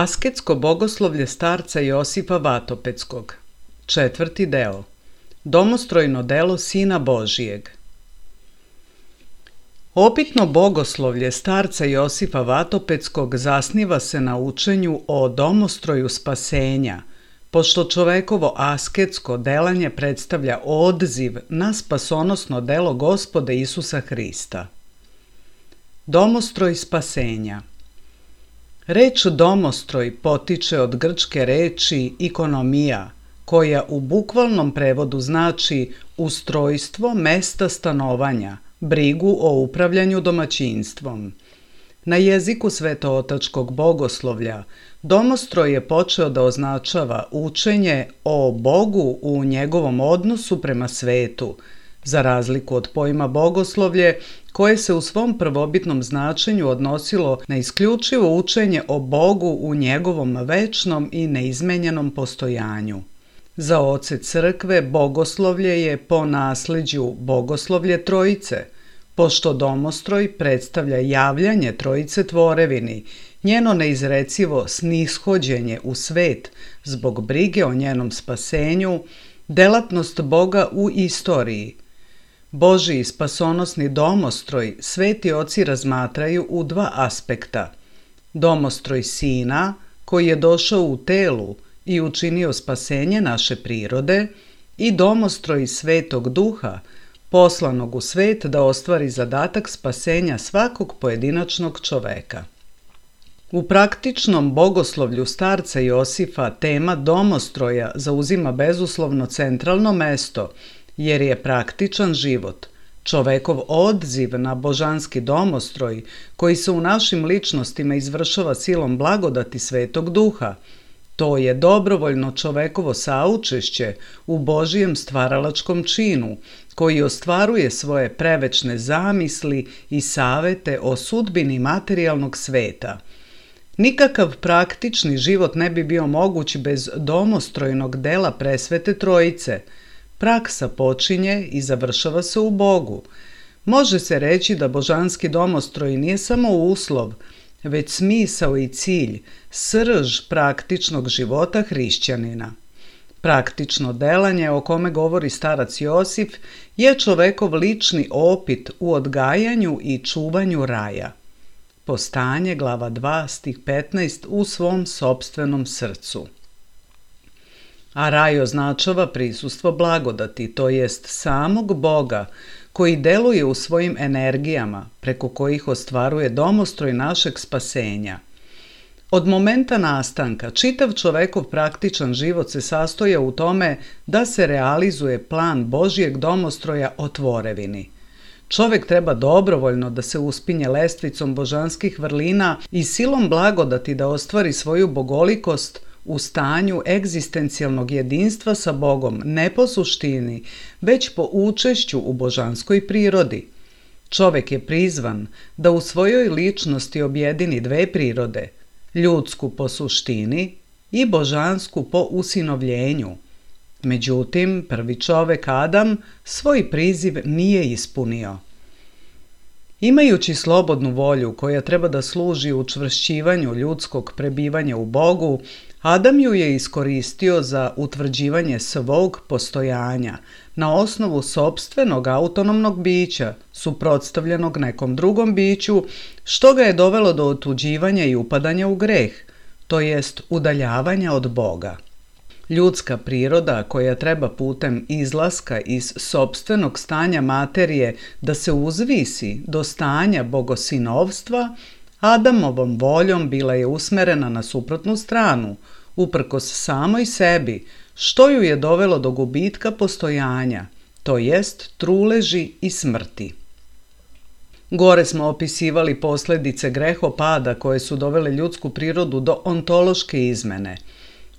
Asketsko bogoslovlje starca Josipa Vatopeckog. 4. deo. Domostrojno delo Sina Božijeg. Opitno bogoslovlje starca Josipa Vatopeckog zasniva se na učenju o domostroju spasenja, pošto čovekovo asketsko delanje predstavlja odziv na spasonosno delo Gospoda Isusa Hrista. Domostroj spasenja. Reč domostroj potiče od grčke reči ikonomija, koja u bukvalnom prevodu znači ustrojstvo mesta stanovanja, brigu o upravljanju domaćinstvom. Na jeziku svetootačkog bogoslovlja domostroj je počeo da označava učenje o Bogu u njegovom odnosu prema svetu, za razliku od pojma bogoslovlje koje se u svom prvobitnom značenju odnosilo na isključivo učenje o Bogu u njegovom večnom i neizmenjenom postojanju. Za oce crkve bogoslovlje je po nasleđu bogoslovlje Trojice, pošto domostroj predstavlja javljanje Trojice tvorevini, njeno neizrecivo snishođenje u svet zbog brige o njenom spasenju, delatnost Boga u istoriji. Božiji spasonosni domostroj sveti oci razmatraju u dva aspekta. Domostroj Sina, koji je došao u telu i učinio spasenje naše prirode, i domostroj Svetog Duha, poslanog u svet da ostvari zadatak spasenja svakog pojedinačnog čoveka. U praktičnom bogoslovlju starca Josifa tema domostroja zauzima bezuslovno centralno mesto, jer je praktičan život, čovekov odziv na božanski domostroj koji se u našim ličnostima izvršava silom blagodati Svetog Duha, To je dobrovoljno čovekovo saučešće u Božijem stvaralačkom činu, koji ostvaruje svoje prevečne zamisli i savete o sudbini materijalnog sveta. Nikakav praktični život ne bi bio moguć bez domostrojnog dela Presvete Trojice. Praksa počinje i završava se u Bogu. Može se reći da božanski domostroj nije samo uslov, već smisao i cilj, srž praktičnog života hrišćanina. Praktično delanje o kome govori starac Josif je čovekov lični opit u odgajanju i čuvanju raja. Postanje, glava 2, stih 15, u svom sopstvenom srcu. A raj označava prisustvo blagodati, to jest samog Boga, koji deluje u svojim energijama, preko kojih ostvaruje domostroj našeg spasenja. Od momenta nastanka, čitav čovekov praktičan život se sastoja u tome da se realizuje plan Božijeg domostroja o tvorevini. Čovek treba dobrovoljno da se uspinje lestvicom božanskih vrlina i silom blagodati da ostvari svoju bogolikost u stanju egzistencijalnog jedinstva sa Bogom, ne po suštini, već po učešću u božanskoj prirodi. Čovek je prizvan da u svojoj ličnosti objedini dve prirode, ljudsku po suštini i božansku po usinovljenju. Međutim, prvi čovek Adam svoj priziv nije ispunio. Imajući slobodnu volju koja treba da služi učvršćivanju ljudskog prebivanja u Bogu, Adam ju je iskoristio za utvrđivanje svog postojanja na osnovu sopstvenog autonomnog bića, suprotstavljenog nekom drugom biću, što ga je dovelo do otuđivanja i upadanja u greh, to jest udaljavanja od Boga. Ljudska priroda koja treba putem izlaska iz sopstvenog stanja materije da se uzvisi do stanja bogosinovstva, Adamovom voljom bila je usmerena na suprotnu stranu, uprkos samoj sebi, što ju je dovelo do gubitka postojanja, to jest truleži i smrti. Gore smo opisivali posledice grehopada koje su dovele ljudsku prirodu do ontološke izmene.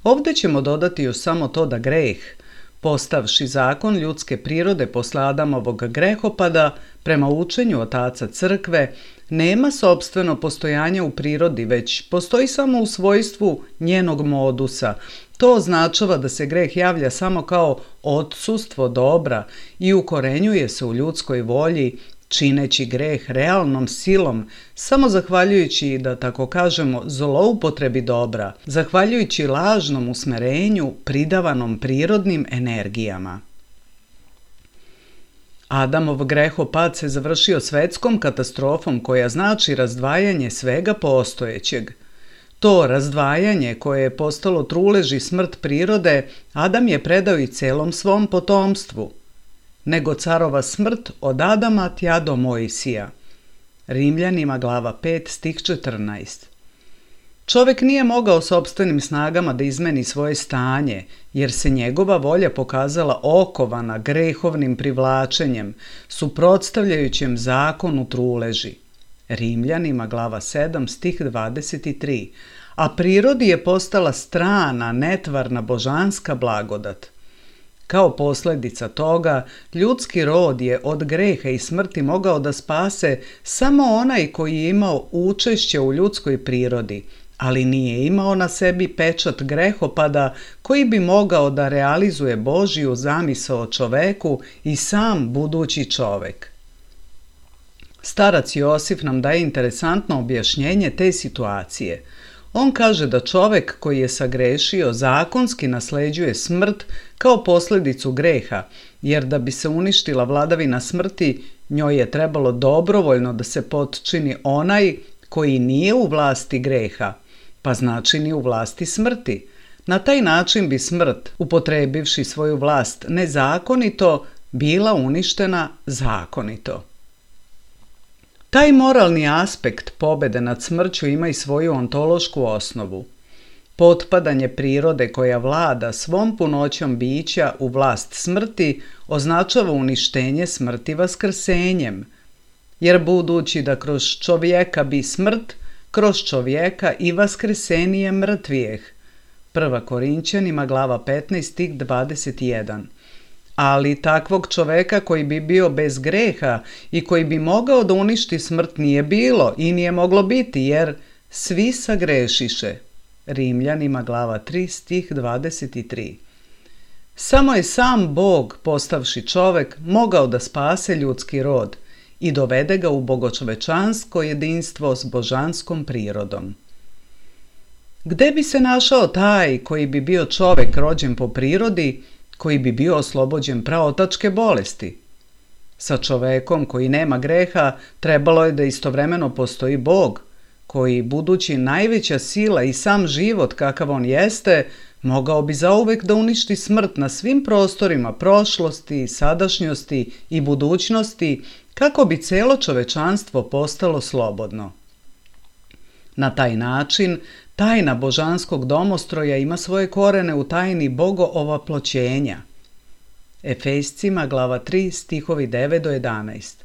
Ovde ćemo dodati još samo to da greh, postavši zakon ljudske prirode posle Adamovog grehopada, prema učenju otaca crkve, nema sopstveno postojanje u prirodi, već postoji samo u svojstvu njenog modusa. To označava da se greh javlja samo kao odsustvo dobra i ukorenjuje se u ljudskoj volji, čineći greh realnom silom, samo zahvaljujući, da tako kažemo, zloupotrebi dobra, zahvaljujući lažnom usmerenju pridavanom prirodnim energijama. Adamov grehopad se završio svetskom katastrofom koja znači razdvajanje svega postojećeg. To razdvajanje koje je postalo trulež i smrt prirode, Adam je predao i celom svom potomstvu. Nego carova smrt od Adama tja do Mojsija. Rimljanima glava 5 stih 14. Čovek nije mogao sopstvenim snagama da izmeni svoje stanje, jer se njegova volja pokazala okovana grehovnim privlačenjem, suprotstavljajućem zakonu truleži. Rimljanima glava 7 stih 23. A prirodi je postala strana, netvarna božanska blagodat. Kao posledica toga, ljudski rod je od greha i smrti mogao da spase samo onaj koji je imao učešće u ljudskoj prirodi, ali nije imao na sebi pečat grehopada koji bi mogao da realizuje Božiju zamisao o čoveku i sam budući čovek. Starac Josif nam daje interesantno objašnjenje te situacije. On kaže da čovek koji je sagrešio zakonski nasleđuje smrt kao posledicu greha, jer da bi se uništila vladavina smrti, njoj je trebalo dobrovoljno da se potčini onaj koji nije u vlasti greha, pa znači ni u vlasti smrti. Na taj način bi smrt, upotrebivši svoju vlast nezakonito, bila uništena zakonito. Taj moralni aspekt pobede nad smrću ima i svoju ontološku osnovu. Potpadanje prirode koja vlada svom punoćom bića u vlast smrti označava uništenje smrti vaskrsenjem, jer budući da kroz čovjeka bi smrt, kroz čovjeka i vaskrsenije mrtvijeh. Prva Korinćanima, glava 15, stih 21. Ali takvog čoveka koji bi bio bez greha i koji bi mogao da uništi smrt nije bilo i nije moglo biti, jer svi sagrešiše. Rimljanima, glava 3, stih 23. Samo je sam Bog, postavši čovek, mogao da spase ljudski rod i dovede ga u bogočovečansko jedinstvo s božanskom prirodom. Gde bi se našao taj koji bi bio čovek rođen po prirodi, koji bi bio oslobođen praotačke bolesti? Sa čovekom koji nema greha trebalo je da istovremeno postoji Bog, koji, budući najveća sila i sam život kakav on jeste, mogao bi zauvek da uništi smrt na svim prostorima prošlosti, sadašnjosti i budućnosti, kako bi celo čovečanstvo postalo slobodno. Na taj način, tajna božanskog domostroja ima svoje korene u tajni bogoovaploćenja. Efescima, glava 3, stihovi 9 do 11.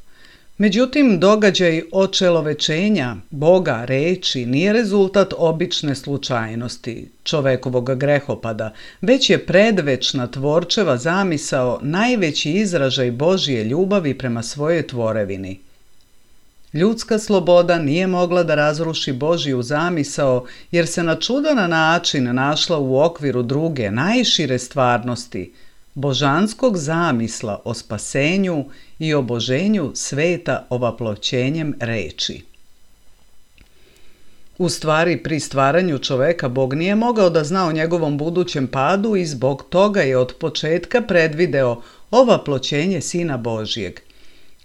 Međutim, događaj očelovečenja Boga reči nije rezultat obične slučajnosti, čovekovog grehopada, već je predvečna tvorčeva zamisao najveći izražaj Božje ljubavi prema svojoj tvorevini. Ljudska sloboda nije mogla da razruši Božju zamisao, jer se na čudan način našla u okviru druge, najšire stvarnosti, božanskog zamisla o spasenju i oboženju sveta ovaploćenjem reči. U stvari, pri stvaranju čoveka Bog nije mogao da zna o njegovom budućem padu i zbog toga je od početka predvideo ovaploćenje Sina Božjeg.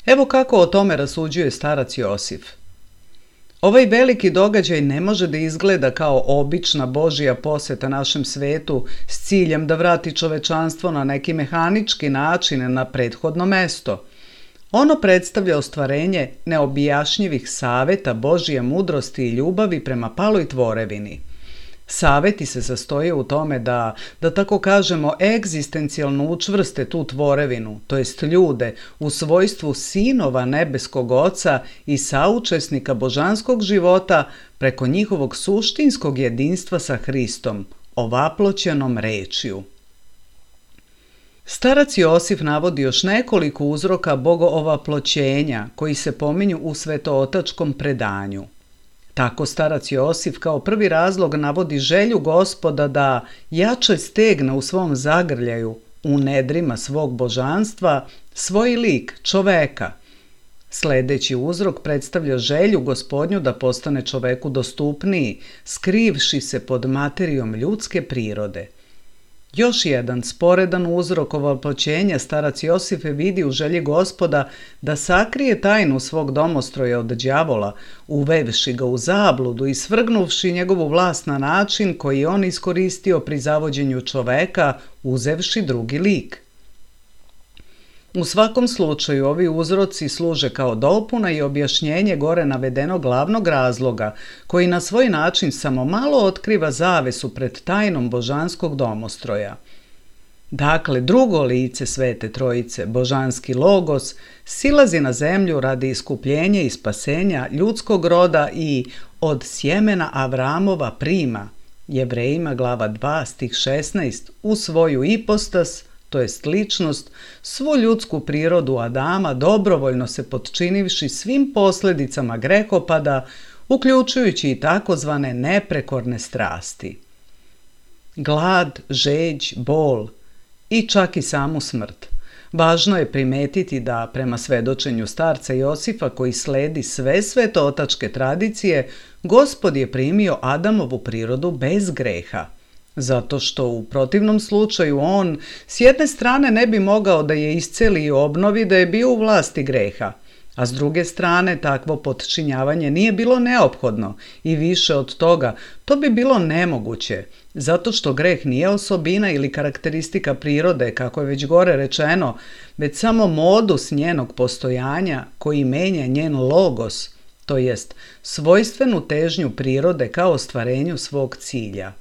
Evo kako o tome rasuđuje starac Josif. Ovaj veliki događaj ne može da izgleda kao obična Božja poseta našem svetu s ciljem da vrati čovečanstvo na neki mehanički način na prethodno mesto. Ono predstavlja ostvarenje neobjašnjivih saveta Božje mudrosti i ljubavi prema paloj tvorevini. Saveti se sastoje u tome da tako kažemo, egzistencijalno učvrste tu tvorevinu, to jest ljude, u svojstvu sinova nebeskog Oca i saučesnika božanskog života preko njihovog suštinskog jedinstva sa Hristom, ovaploćenom rečju. Starac Josif navodi još nekoliko uzroka bogoovaploćenja koji se pominju u svetootačkom predanju. Tako starac Josif kao prvi razlog navodi želju Gospoda da jače stegne u svom zagrljaju, u nedrima svog božanstva, svoj lik, čoveka. Sledeći uzrok predstavlja želju Gospodnju da postane čoveku dostupniji, skrivši se pod materijom ljudske prirode. Još jedan sporedan uzrok ovaploćenja starac Josif vidi u želji Gospoda da sakrije tajnu svog domostroja od đavola, uvevši ga u zabludu i svrgnuvši njegovu vlast na način koji je on iskoristio pri zavođenju čoveka, uzevši drugi lik. U svakom slučaju ovi uzroci služe kao dopuna i objašnjenje gore navedenog glavnog razloga, koji na svoj način samo malo otkriva zavesu pred tajnom božanskog domostroja. Dakle, drugo lice Svete Trojice, božanski Logos, silazi na zemlju radi iskupljenja i spasenja ljudskog roda i od sjemena Avramova prima, Jevrejima glava 2 stih 16, u svoju ipostas, to jest ličnost, svu ljudsku prirodu Adama dobrovoljno se potčinivši svim posljedicama grehopada, uključujući i takozvane neprekorne strasti. Glad, žeđ, bol i čak i samu smrt. Važno je primetiti da, prema svedočenju starca Josifa koji sledi sve svetootačke tradicije, Gospod je primio Adamovu prirodu bez greha. Zato što u protivnom slučaju on s jedne strane ne bi mogao da je isceli i obnovi da je bio u vlasti greha, a s druge strane takvo potčinjavanje nije bilo neophodno i više od toga to bi bilo nemoguće, zato što greh nije osobina ili karakteristika prirode, kako je već gore rečeno, već samo modus njenog postojanja koji menja njen logos, to jest svojstvenu težnju prirode kao ostvarenju svog cilja.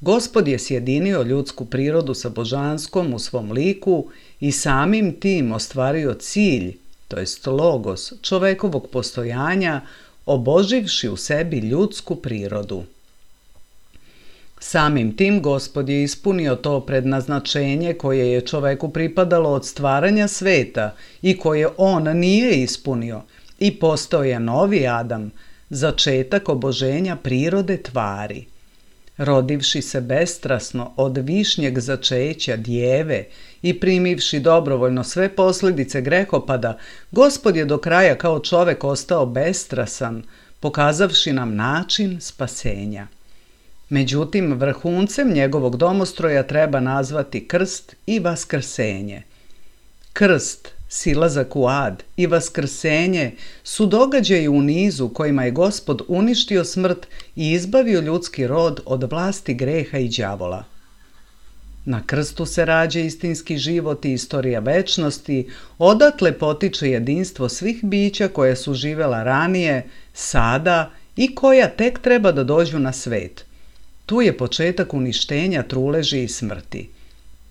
Gospod je sjedinio ljudsku prirodu sa božanskom u svom liku i samim tim ostvario cilj, to jest logos čovekovog postojanja, oboživši u sebi ljudsku prirodu. Samim tim Gospod je ispunio to prednaznačenje koje je čoveku pripadalo od stvaranja sveta i koje on nije ispunio i postao je novi Adam, začetak oboženja prirode tvari. Rodivši se bestrasno od višnjeg začeća djeve i primivši dobrovoljno sve posljedice grehopada, Gospod je do kraja kao čovek ostao bestrasan, pokazavši nam način spasenja. Međutim, vrhuncem njegovog domostroja treba nazvati krst i vaskrsenje. Krst, silazak u ad i vaskrsenje su događaji u nizu kojima je Gospod uništio smrt i izbavio ljudski rod od vlasti greha i đavola. Na krstu se rađa istinski život i istorija večnosti, odatle potiče jedinstvo svih bića koja su živela ranije, sada i koja tek treba da dođu na svet. Tu je početak uništenja truleži i smrti.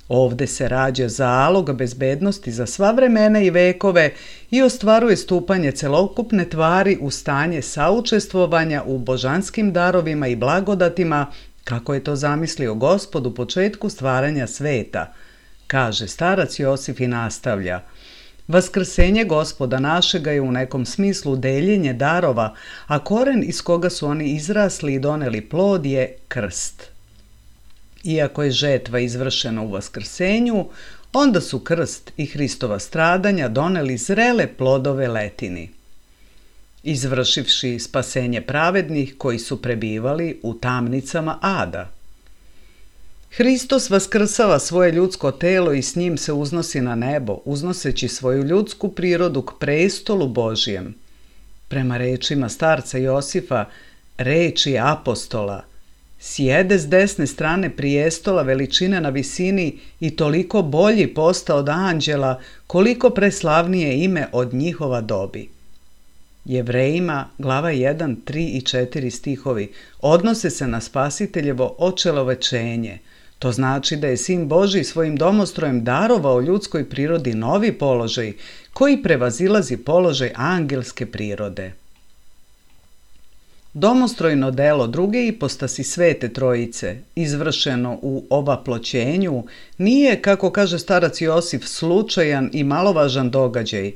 Ovde se rađa zalog bezbednosti za sva vremena i vekove i ostvaruje stupanje celokupne tvari u stanje saučestvovanja u božanskim darovima i blagodatima, kako je to zamislio Gospod u početku stvaranja sveta, kaže starac Josif i nastavlja. Vaskrsenje Gospoda našega je u nekom smislu deljenje darova, a koren iz koga su oni izrasli i doneli plod je krst. Iako je žetva izvršena u vaskrsenju, onda su krst i Hristova stradanja doneli zrele plodove letini, izvršivši spasenje pravednih koji su prebivali u tamnicama ada. Hristos vaskrsava svoje ljudsko telo i s njim se uznosi na nebo, uznoseći svoju ljudsku prirodu k prestolu Božijem. Prema rečima starca Josifa, reči apostola, sjede s desne strane prijestola veličine na visini i toliko bolji posta od anđela, koliko preslavnije ime od njihova dobi. Jevrejima, glava 1, 3 i 4 stihovi, odnose se na spasiteljevo očelovečenje. To znači da je Sin Božji svojim domostrojem darovao ljudskoj prirodi novi položaj, koji prevazilazi položaj angelske prirode. Domostrojno delo druge ipostasi Svete Trojice, izvršeno u ovaploćenju, nije, kako kaže starac Josif, slučajan i malovažan događaj,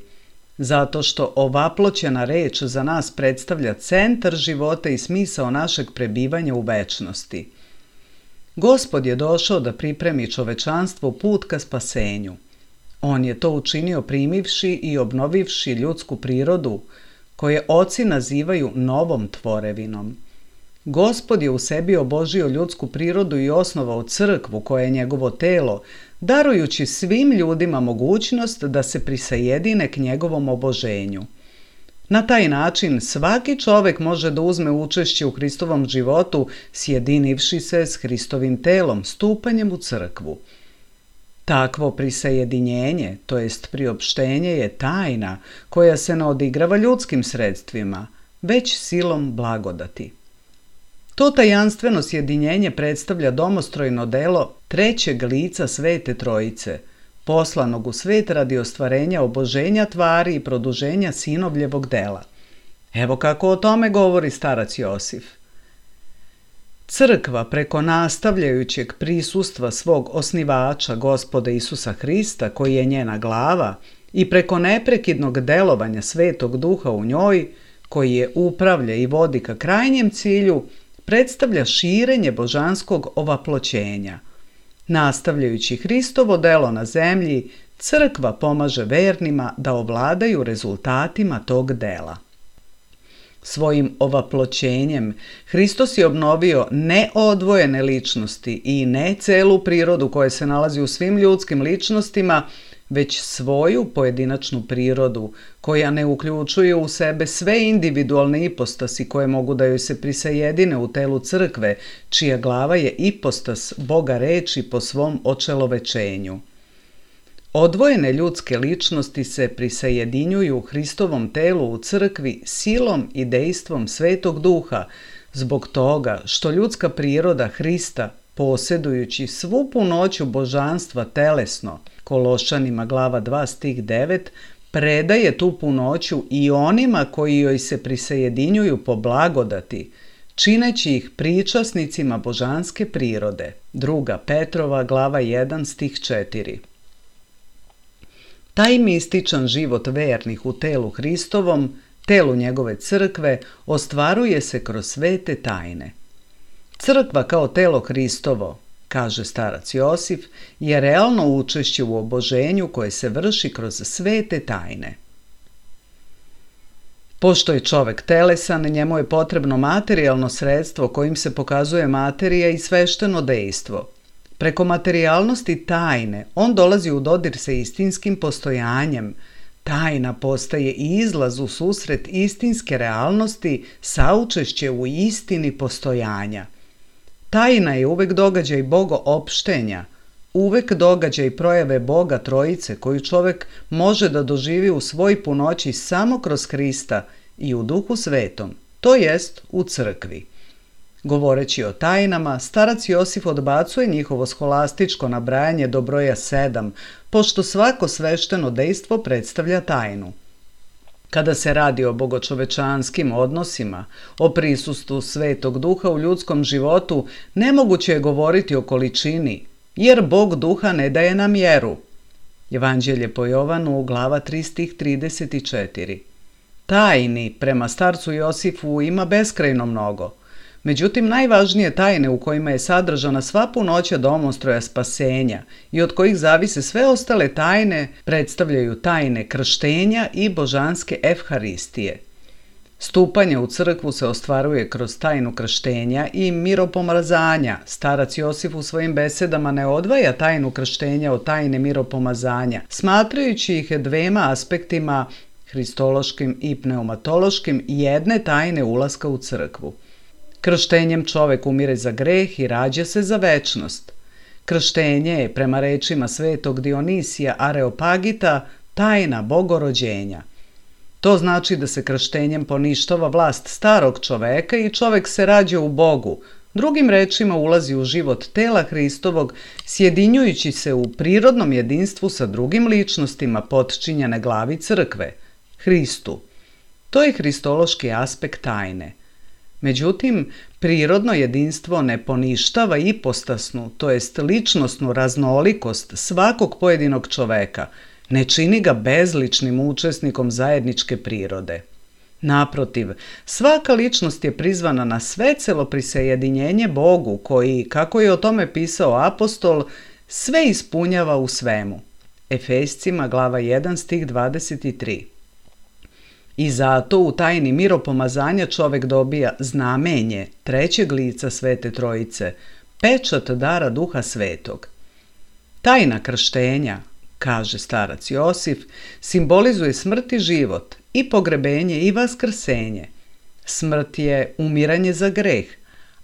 zato što ovaploćena reč za nas predstavlja centar života i smisao našeg prebivanja u večnosti. Gospod je došao da pripremi čovečanstvo put ka spasenju. On je to učinio primivši i obnovivši ljudsku prirodu, koje oci nazivaju novom tvorevinom. Gospod je u sebi obožio ljudsku prirodu i osnovao crkvu koja je njegovo telo, darujući svim ljudima mogućnost da se prisajedine k njegovom oboženju. Na taj način svaki čovek može da uzme učešće u Hristovom životu, sjedinivši se s Hristovim telom, stupanjem u crkvu. Takvo prisajedinjenje, to jest priopštenje, je tajna koja se ne odigrava ljudskim sredstvima, već silom blagodati. To tajanstveno sjedinjenje predstavlja domostrojno delo trećeg lica Svete Trojice, poslanog u svet radi ostvarenja oboženja tvari i produženja sinovljevog dela. Evo kako o tome govori starac Josif. Crkva preko nastavljajućeg prisustva svog osnivača, Gospoda Isusa Hrista, koji je njena glava, i preko neprekidnog delovanja Svetog Duha u njoj, koji je upravlja i vodi ka krajnjem cilju, predstavlja širenje božanskog ovaploćenja. Nastavljajući Hristovo delo na zemlji, crkva pomaže vernima da ovladaju rezultatima tog dela. Svojim ovaploćenjem Hristos je obnovio ne odvojene ličnosti i ne celu prirodu koja se nalazi u svim ljudskim ličnostima, već svoju pojedinačnu prirodu koja ne uključuje u sebe sve individualne ipostasi koje mogu da joj se prisajedine u telu crkve, čija glava je ipostas Boga reči po svom očelovečenju. Odvojene ljudske ličnosti se prisajedinjuju Hristovom telu u crkvi silom i dejstvom Svetog Duha, zbog toga što ljudska priroda Hrista, posjedujući svu punoću božanstva telesno, Kološanima glava 2 stih 9, predaje tu punoću i onima koji joj se prisajedinjuju po blagodati, čineći ih pričasnicima božanske prirode. 2. Petrova, glava 1, stih 4. Taj mističan život vernih u telu Hristovom, telu njegove crkve, ostvaruje se kroz svete tajne. Crkva kao telo Hristovo, kaže starac Josif, je realno učešće u oboženju koje se vrši kroz svete tajne. Pošto je čovek telesan, njemu je potrebno materijalno sredstvo kojim se pokazuje materija i svešteno dejstvo. Preko materijalnosti tajne on dolazi u dodir sa istinskim postojanjem. Tajna postaje i izlaz u susret istinske realnosti, saučešće u istini postojanja. Tajna je uvek događaj bogoopštenja, uvek događaj projave Boga Trojice koju čovek može da doživi u svoj punoći samo kroz Hrista i u Duhu Svetom, to jest u crkvi. Govoreći o tajnama, starac Josif odbacuje njihovo scholastičko nabrajanje do broja 7, pošto svako svešteno dejstvo predstavlja tajnu. Kada se radi o bogočovečanskim odnosima, o prisustvu Svetog Duha u ljudskom životu, nemoguće je govoriti o količini, jer Bog Duha ne daje na mjeru. Evanđelje po Jovanu, glava 3, stih 34. Tajni, prema starcu Josifu, ima beskrajno mnogo. Međutim, najvažnije tajne u kojima je sadržana sva punoća domostroja spasenja i od kojih zavise sve ostale tajne predstavljaju tajne krštenja i božanske evharistije. Stupanje u crkvu se ostvaruje kroz tajnu krštenja i miropomazanja. Starac Josif u svojim besedama ne odvaja tajnu krštenja od tajne miropomazanja, smatrajući ih dvema aspektima, hristološkim i pneumatološkim, jedne tajne ulaska u crkvu. Krštenjem čovek umire za greh i rađa se za večnost. Krštenje je, prema rečima svetog Dionisija Areopagita, tajna bogorođenja. To znači da se krštenjem poništava vlast starog čoveka i čovek se rađa u Bogu, drugim rečima ulazi u život tela Hristovog, sjedinjujući se u prirodnom jedinstvu sa drugim ličnostima potčinjene glavi crkve, Hristu. To je hristološki aspekt tajne. Međutim, prirodno jedinstvo ne poništava ipostasnu, to jest ličnosnu raznolikost svakog pojedinog čoveka, ne čini ga bezličnim učesnikom zajedničke prirode. Naprotiv, svaka ličnost je prizvana na svecelo prisajedinjenje Bogu koji, kako je o tome pisao apostol, sve ispunjava u svemu. Efescima, glava 1, stih 23. I zato u tajni miropomazanja čovek dobija znamenje trećeg lica Svete Trojice, pečat dara Duha Svetog. Tajna krštenja, kaže starac Josif, simbolizuje smrt i život, i pogrebenje i vaskrsenje. Smrt je umiranje za greh,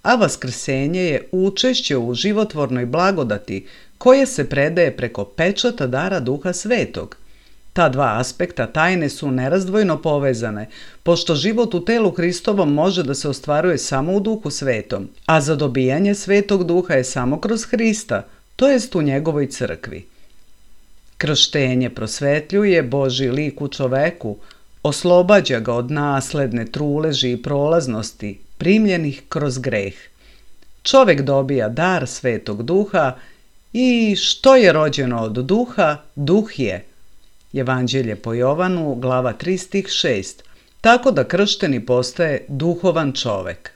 a vaskrsenje je učešće u životvornoj blagodati koje se predaje preko pečata dara Duha Svetog. Ta dva aspekta tajne su nerazdvojno povezane, pošto život u telu Hristovom može da se ostvaruje samo u Duhu Svetom, a za dobijanje Svetog Duha je samo kroz Hrista, to jest u njegovoj crkvi. Krštenje prosvetljuje Božji lik u čoveku, oslobađa ga od nasledne truleži i prolaznosti primljenih kroz greh. Čovek dobija dar Svetog Duha i što je rođeno od Duha, Duh je. Evanđelje po Jovanu, glava 3, stih 6, tako da kršteni postaje duhovan čovek.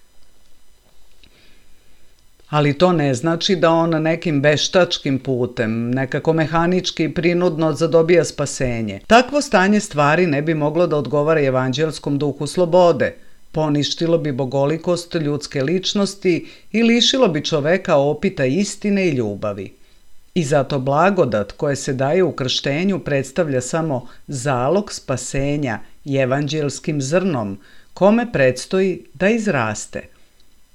Ali to ne znači da on nekim veštačkim putem, nekako mehanički i prinudno zadobija spasenje. Takvo stanje stvari ne bi moglo da odgovara evanđelskom duhu slobode, poništilo bi bogolikost ljudske ličnosti i lišilo bi čoveka opita istine i ljubavi. I zato blagodat koje se daje u krštenju predstavlja samo zalog spasenja evanđelskim zrnom, kome predstoji da izraste.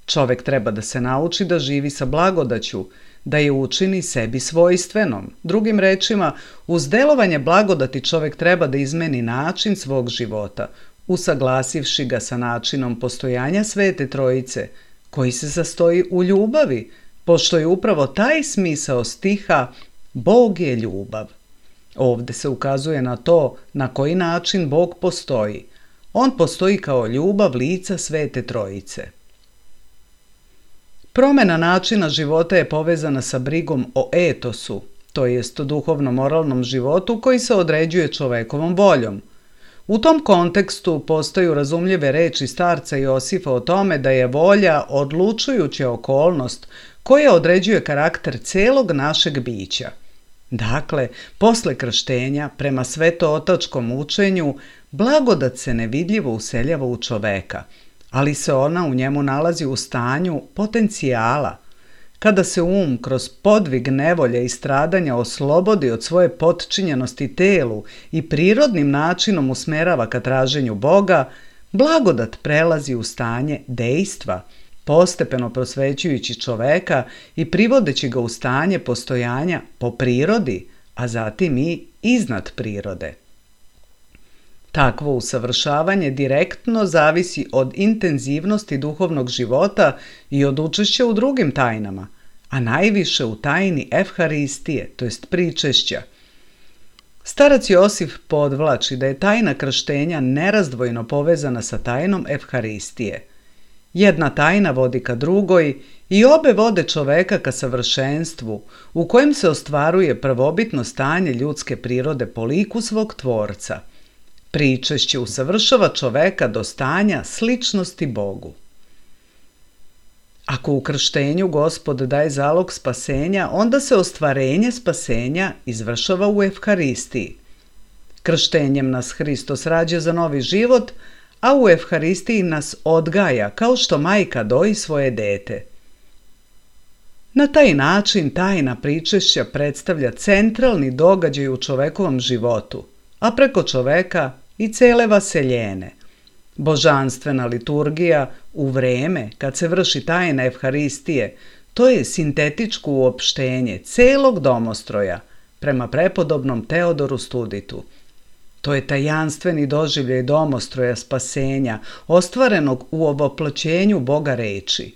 Čovek treba da se nauči da živi sa blagodaću, da je učini sebi svojstvenom. Drugim rečima, uz delovanje blagodati čovek treba da izmeni način svog života, usaglasivši ga sa načinom postojanja Svete Trojice, koji se sastoji u ljubavi, pošto je upravo taj smisao stiha Bog je ljubav. Ovde se ukazuje na to na koji način Bog postoji. On postoji kao ljubav lica Svete Trojice. Promjena načina života je povezana sa brigom o etosu, to jest duhovno-moralnom životu koji se određuje čovekovom voljom. U tom kontekstu postaju razumljive reči starca Josifa o tome da je volja odlučujuća okolnost koja određuje karakter celog našeg bića. Dakle, posle krštenja, prema svetootačkom učenju, blagodat se nevidljivo useljava u čoveka, ali se ona u njemu nalazi u stanju potencijala. Kada se kroz podvig nevolje i stradanja oslobodi od svoje potčinjenosti telu i prirodnim načinom usmerava ka traženju Boga, blagodat prelazi u stanje dejstva, postepeno prosvećujući čoveka i privodeći ga u stanje postojanja po prirodi, a zatim i iznad prirode. Takvo usavršavanje direktno zavisi od intenzivnosti duhovnog života i od učešća u drugim tajnama, a najviše u tajni Evharistije, to jest pričešća. Starac Josif podvlači da je tajna krštenja nerazdvojno povezana sa tajnom Evharistije. Jedna tajna vodi ka drugoj i obe vode čoveka ka savršenstvu, u kojem se ostvaruje prvobitno stanje ljudske prirode po liku svog Tvorca. Pričešće usavršava čoveka do stanja sličnosti Bogu. Ako u krštenju Gospod daje zalog spasenja, onda se ostvarenje spasenja izvršava u Evharistiji. Krštenjem nas Hristos rađa za novi život, a u Evharistiji nas odgaja kao što majka doji svoje dete. Na taj način tajna pričešća predstavlja centralni događaj u čovekovom životu, a preko čoveka i cele vaseljene. Božanstvena liturgija u vreme kad se vrši tajna Evharistije, to je sintetičko uopštenje celog domostroja prema prepodobnom Teodoru Studitu. To je tajanstveni doživljaj domostroja spasenja, ostvarenog u ovoploćenju Boga reči.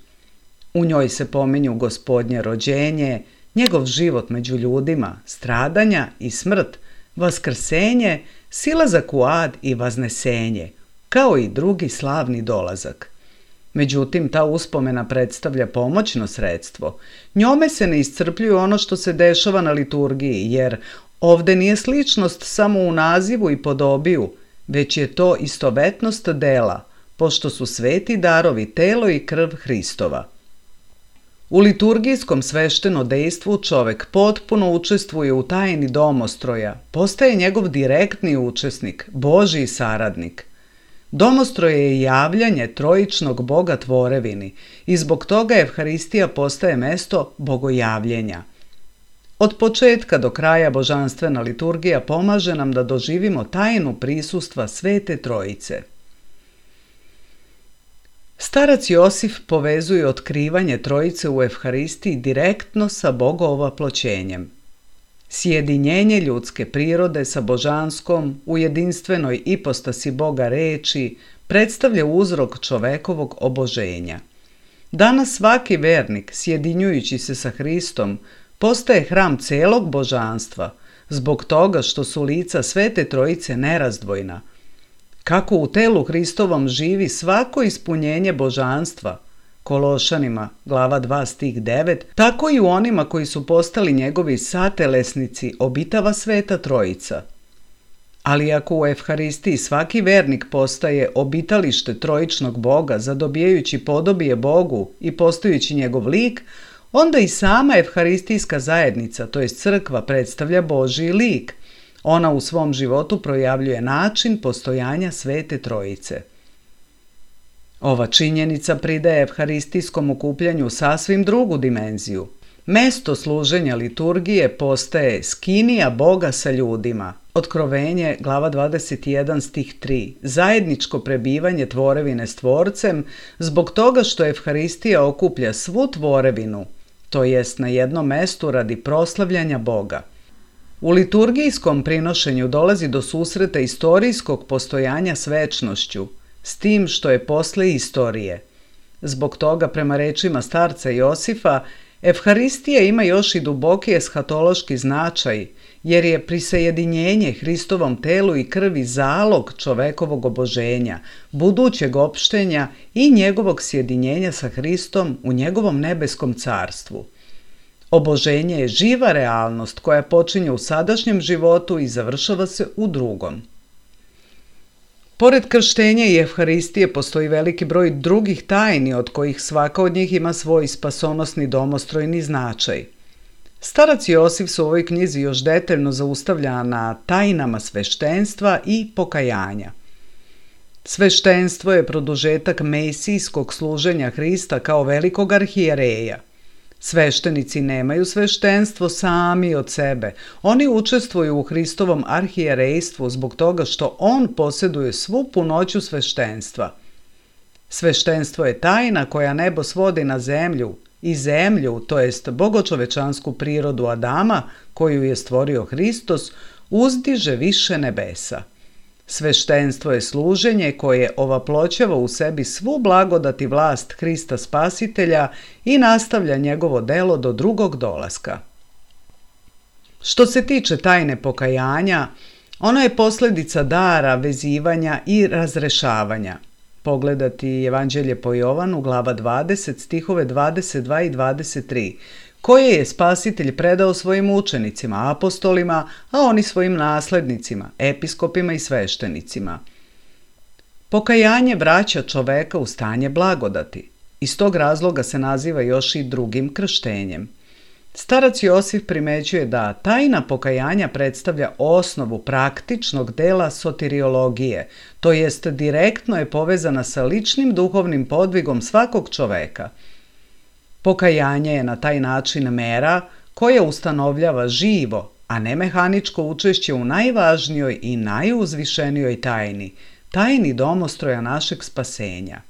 U njoj se pominju Gospodnje rođenje, njegov život među ljudima, stradanja i smrt, vaskrsenje, silazak u ad i vaznesenje, kao i drugi slavni dolazak. Međutim, ta uspomena predstavlja pomoćno sredstvo. Njome se ne iscrpljuje ono što se dešava na liturgiji, jer ovde nije sličnost samo u nazivu i podobiju, već je to istovetnost dela, pošto su sveti darovi telo i krv Hristova. U liturgijskom svešteno dejstvu čovek potpuno učestvuje u tajni domostroja, postaje njegov direktni učesnik, Božji saradnik. Domostroje je javljanje trojičnog Boga tvorevini i zbog toga Evharistija postaje mesto bogojavljenja. Od početka do kraja božanstvena liturgija pomaže nam da doživimo tajnu prisustva Svete Trojice. Starac Josif povezuje otkrivanje Trojice u Evharistiji direktno sa bogovoploćenjem. Sjedinjenje ljudske prirode sa božanskom u jedinstvenoj ipostasi Boga reči predstavlja uzrok čovekovog oboženja. Danas svaki vernik, sjedinjujući se sa Hristom, postaje hram celog božanstva, zbog toga što su lica Svete Trojice nerazdvojna. Kako u telu Hristovom živi svako ispunjenje božanstva, Kološanima, glava 2, stih 9, tako i u onima koji su postali njegovi satelesnici obitava Sveta Trojica. Ali ako u Evharistiji svaki vernik postaje obitalište trojičnog Boga, zadobijajući podobije Bogu i postajući njegov lik, onda i sama Evharistijska zajednica, to jest crkva, predstavlja Božji lik. Ona u svom životu projavljuje način postojanja Svete Trojice. Ova činjenica pridaje evharistijskom okupljanju sasvim drugu dimenziju. Mesto služenja liturgije postaje skinija Boga sa ljudima. Otkrovenje, glava 21, stih 3. Zajedničko prebivanje tvorevine s Tvorcem zbog toga što Evharistija okuplja svu tvorevinu, to jest na jednom mestu radi proslavljanja Boga. U liturgijskom prinošenju dolazi do susreta istorijskog postojanja s večnošću, s tim što je posle istorije. Zbog toga, prema rečima starca Josifa, Evharistija ima još i duboki eshatološki značaj, jer je prisajedinjenje Hristovom telu i krvi zalog čovekovog oboženja, budućeg opštenja i njegovog sjedinjenja sa Hristom u njegovom nebeskom carstvu. Oboženje je živa realnost koja počinje u sadašnjem životu i završava se u drugom. Pored krštenja i Evharistije postoji veliki broj drugih tajni od kojih svaka od njih ima svoj spasonosni domostrojni značaj. Starac Josif se u ovoj knjizi još detaljno zaustavlja na tajnama sveštenstva i pokajanja. Sveštenstvo je produžetak mesijskog služenja Hrista kao velikog arhijereja. Sveštenici nemaju sveštenstvo sami od sebe. Oni učestvuju u Hristovom arhijerejstvu zbog toga što on posjeduje svu punoću sveštenstva. Sveštenstvo je tajna koja nebo svodi na zemlju i zemlju, to jest bogočovečansku prirodu Adama, koju je stvorio Hristos, uzdiže više nebesa. Sveštenstvo je služenje koje ovaploćava u sebi svu blagodat i vlast Hrista Spasitelja i nastavlja njegovo delo do drugog dolaska. Što se tiče tajne pokajanja, ono je posljedica dara, vezivanja i razrešavanja. Pogledati Evanđelje po Jovanu, glava 20, stihove 22 i 23, koje je Spasitelj predao svojim učenicima, apostolima, a oni svojim naslednicima, episkopima i sveštenicima. Pokajanje vraća čoveka u stanje blagodati. Iz tog razloga se naziva još i drugim krštenjem. Starac Josif primećuje da tajna pokajanja predstavlja osnovu praktičnog dela soteriologije, to jest direktno je povezana sa ličnim duhovnim podvigom svakog čoveka. Pokajanje je na taj način mera koja ustanovljava živo, a ne mehaničko učešće u najvažnijoj i najuzvišenijoj tajni, tajni domostroja našeg spasenja.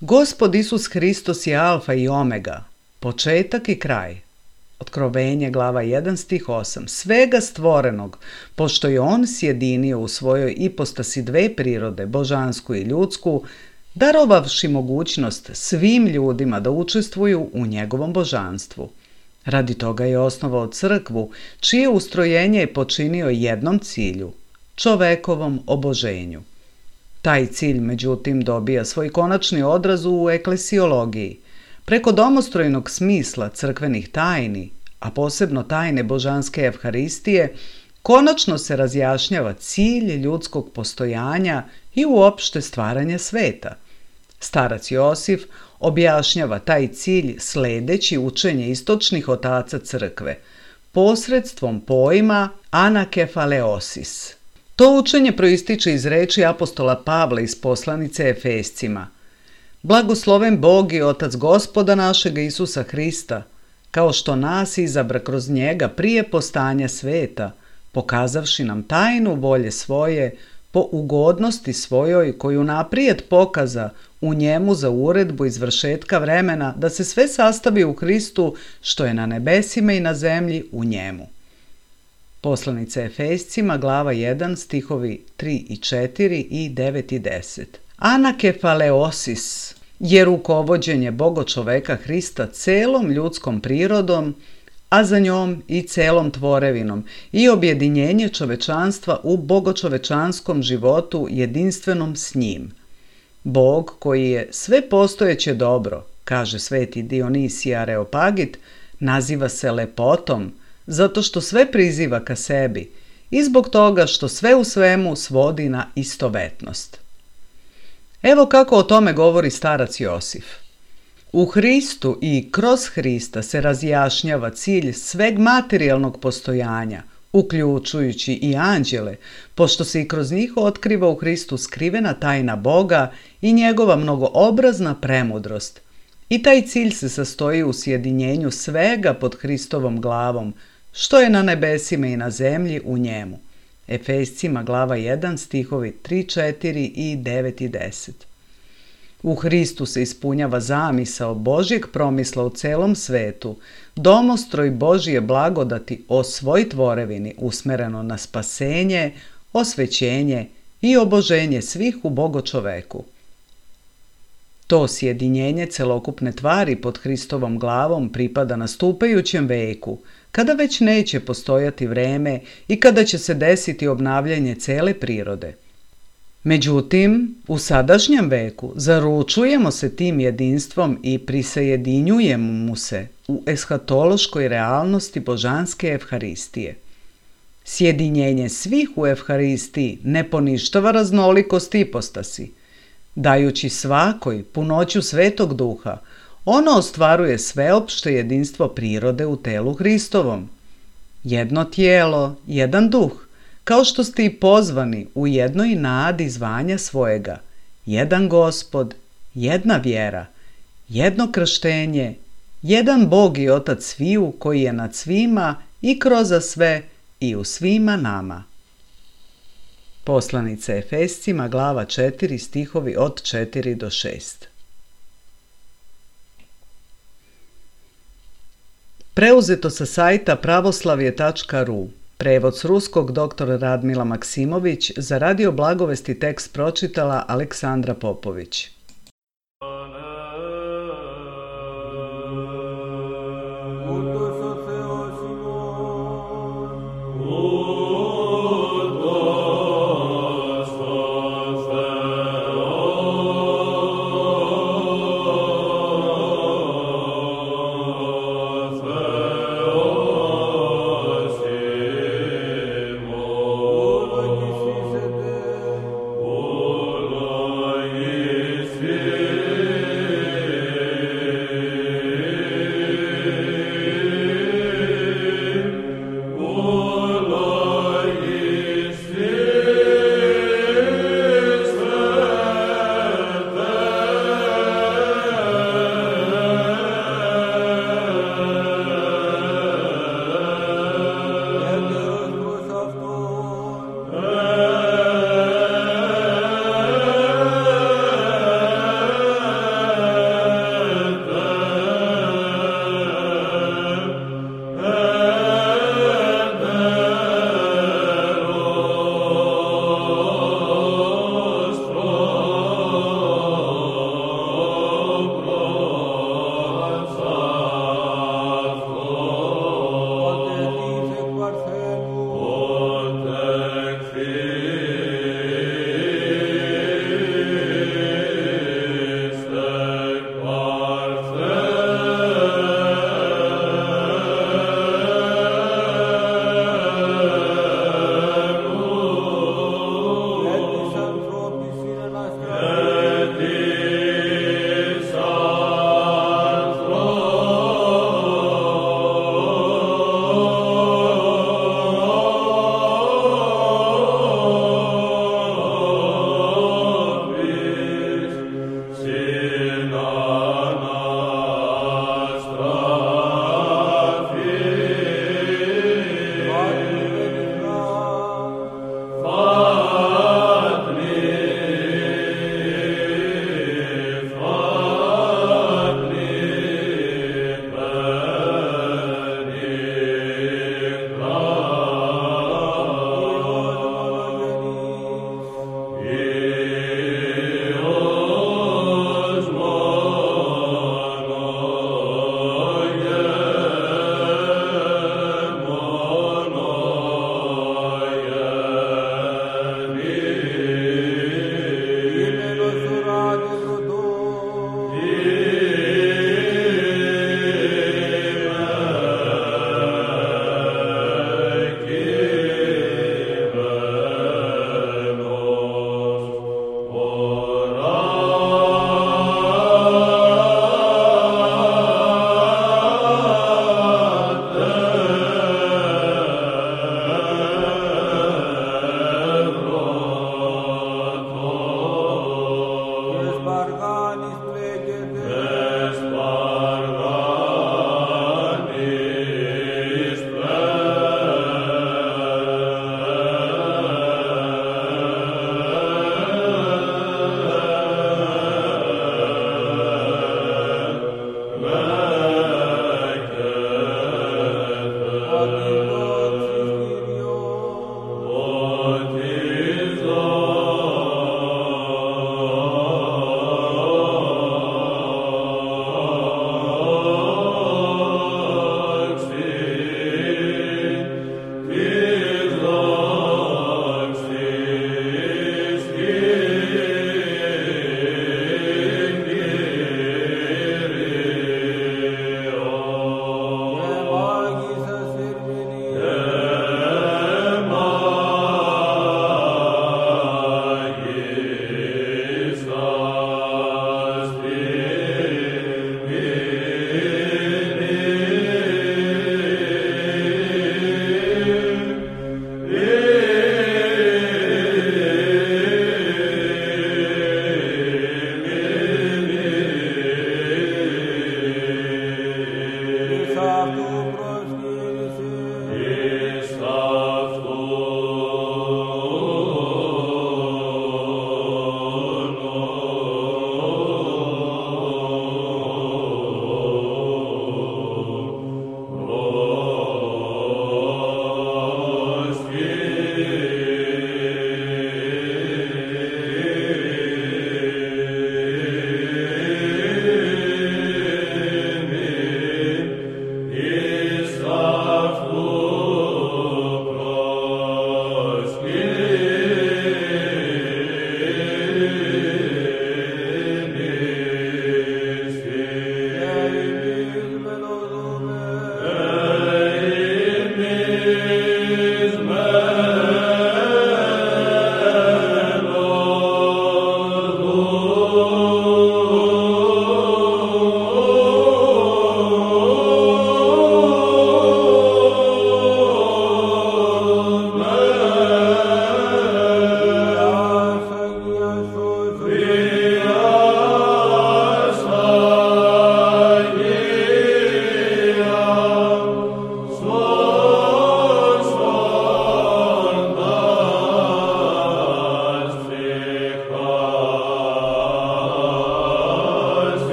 Gospod Isus Hristos je alfa i omega, početak i kraj. Otkrovenje, glava 1, stih 8. Svega stvorenog, pošto je on sjedinio u svojoj ipostasi dve prirode, božansku i ljudsku, darovavši mogućnost svim ljudima da učestvuju u njegovom božanstvu. Radi toga je osnovao crkvu, čije ustrojenje je počinio jednom cilju, čovekovom oboženju. Taj cilj, međutim, dobija svoj konačni odraz u eklesiologiji. Preko domostrojnog smisla crkvenih tajni, a posebno tajne božanske Evharistije, konačno se razjašnjava cilj ljudskog postojanja i uopšte stvaranja sveta. Starac Josif objašnjava taj cilj sledeći učenje istočnih otaca crkve, posredstvom pojma anakefaleosis. To učenje proističe iz reči apostola Pavla iz poslanice Efescima. Blagosloven Bog i Otac Gospoda našega Isusa Hrista, kao što nas izabra kroz njega prije postanja sveta, pokazavši nam tajnu volje svoje, po ugodnosti svojoj koju naprijed pokaza u njemu za uredbu izvršetka vremena, da se sve sastavi u Hristu što je na nebesima i na zemlji u njemu. Poslanica Efescima, glava 1, stihovi 3 i 4 i 9 i 10. Anakefaleosis je rukovođenje bogočoveka Hrista celom ljudskom prirodom, a za njom i celom tvorevinom, i objedinjenje čovečanstva u bogočovečanskom životu jedinstvenom s njim. Bog koji je sve postojeće dobro, kaže sveti Dionisije Areopagit, naziva se lepotom, zato što sve priziva ka sebi i zbog toga što sve u svemu svodi na istovetnost. Evo kako o tome govori starac Josif. U Hristu i kroz Hrista se razjašnjava cilj sveg materijalnog postojanja, uključujući i anđele, pošto se i kroz njih otkriva u Hristu skrivena tajna Boga i njegova mnogoobrazna premudrost. I taj cilj se sastoji u sjedinjenju svega pod Hristovom glavom, što je na nebesima i na zemlji u njemu. Efescima, glava 1, stihovi 3, 4 i 9 i 10. U Hristu se ispunjava zamisao Božjeg promisla u celom svetu, domostroj Božje blagodati o svoj tvorevini usmereno na spasenje, osvećenje i oboženje svih u bogočoveku. To sjedinjenje celokupne tvari pod Hristovom glavom pripada nastupajućem veku, kada već neće postojati vreme i kada će se desiti obnavljanje cele prirode. Međutim, u sadašnjem veku zaručujemo se tim jedinstvom i prisajedinjujemo mu se u eshatološkoj realnosti božanske evharistije. Sjedinjenje svih u evharistiji ne poništava raznolikost ipostasi. Dajući svakoj punoću Svetog Duha, ono ostvaruje sveopšte jedinstvo prirode u telu Hristovom. Jedno tijelo, jedan duh, kao što ste i pozvani u jednoj nadi zvanja svojega, jedan Gospod, jedna vjera, jedno krštenje, jedan Bog i Otac sviju koji je nad svima i kroz sve i u svima nama. Poslanica Efescima, glava 4, stihovi od 4 do 6. Preuzeto sa sajta pravoslavje.ru. Prevod s ruskog dr. Radmila Maksimović, za Radio Blagovesti tekst pročitala Aleksandra Popović.